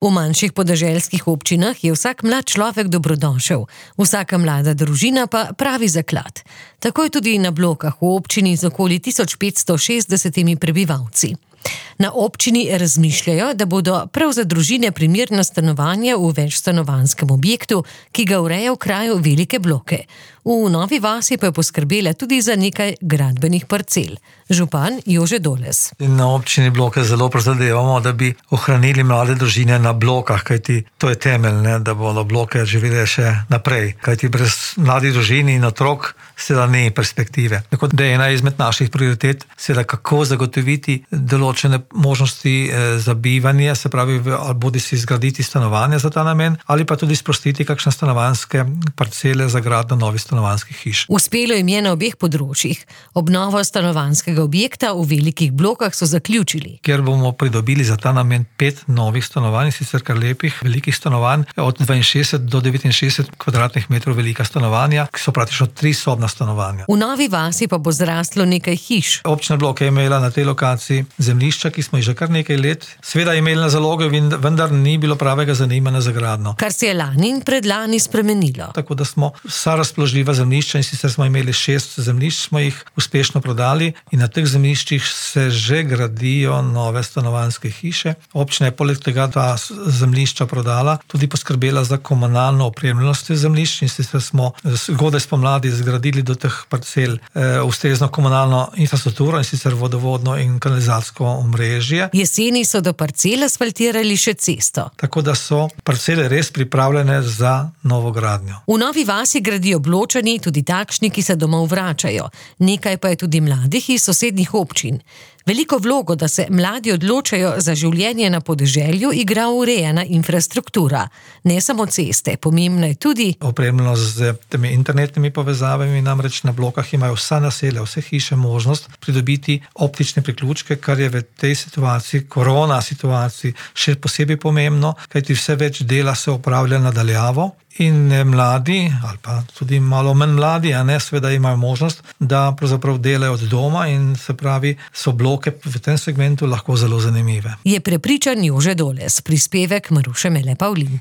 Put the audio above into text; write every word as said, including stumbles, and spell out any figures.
V manjših podeželskih občinah je vsak mlad človek dobrodošel, vsaka mlada družina pa pravi zaklad. Tako je tudi na Blokah v občini z okoli tisoč petsto šestdesetimi prebivalci. Na občini razmišljajo, da bodo prav za družine primerna stanovanja v večstanovanjskem objektu, ki ga ureja v kraju Velike Bloke. V Novi vasi pa je poskrbela tudi za nekaj gradbenih parcel. Župan Jože Doles. Na občini Bloke zelo prizadevamo, da bi ohranili mlade družine na Blokah, kajti to je temelj, ne, da bodo Bloke živele še naprej. Kajti brez mladih družin in otrok seveda ni perspektive. Tako da je ena izmed naših prioritet seveda kako zagotoviti določene možnosti za bivanje, se pravi, bodi si zgraditi stanovanja za ta namen, ali pa tudi sprostiti kakšne stanovanjske parcele za gradnjo novih stanovanjskih hiš. Uspelo jim je na obeh področjih. Obnovo stanovanjskega objekta v Velikih Blokah so zaključili. Ker bomo pridobili za ta namen pet novih stanovanj, sicer kar lepih, velikih stanovanj, od dvainšestdeset do devetinšestdeset kvadratnih metrov velika stanovanja, ki so praktično tri sobna stanovanja. V Novi vasi pa bo zraslo nekaj hiš. Občina Bloke je imela na tej lokaciji zemljišča, ki smo jih že kar nekaj let. Sveda je imela na zaloge, vendar ni bilo pravega zanimanja za gradnjo. Kar se je lani in predlani spremenilo. Tako da smo vsa razpoložljiva zemljišča, in sicer smo imeli šest zemljišč, smo jih uspešno prodali in na teh zemljiščih se že gradijo nove stanovanjske hiše. Občina je poleg tega ta zemljišča prodala, tudi poskrbela za komunalno opremljenost zemljišč, in sicer smo zgodaj spomladi zgradili do teh parcel e, ustrezno komunalno infrastrukturo, in sicer vodovodno in kanalizacijsko omrežje. Jeseni so do parcel asfaltirali še cesto. Tako da so parcele res pripravljene za novogradnjo. V Novi vasi gradijo Bločani, tudi takšni, ki se domov vračajo. Nekaj pa je tudi mladih iz sosednjih občin. Veliko vlogo, da se mladi odločajo za življenje na podeželju, igra urejena infrastruktura. Ne samo ceste, pomembna je tudi opremljenost z temi internetnimi povezavami, namreč na Blokah imajo vsa naselja, vse hiše možnost pridobiti optične priključke, kar je v tej situaciji, korona situaciji, še posebej pomembno, kajti vse več dela se opravlja nadaljavo. In mladi, ali pa tudi malo manj mladi, a ne, seveda imajo možnost, da pravzaprav delajo od doma, in se pravi, so Bloke v tem segmentu lahko zelo zanimive. Je prepričan Jože Doles, prispevek Maruše Mele Pavlin.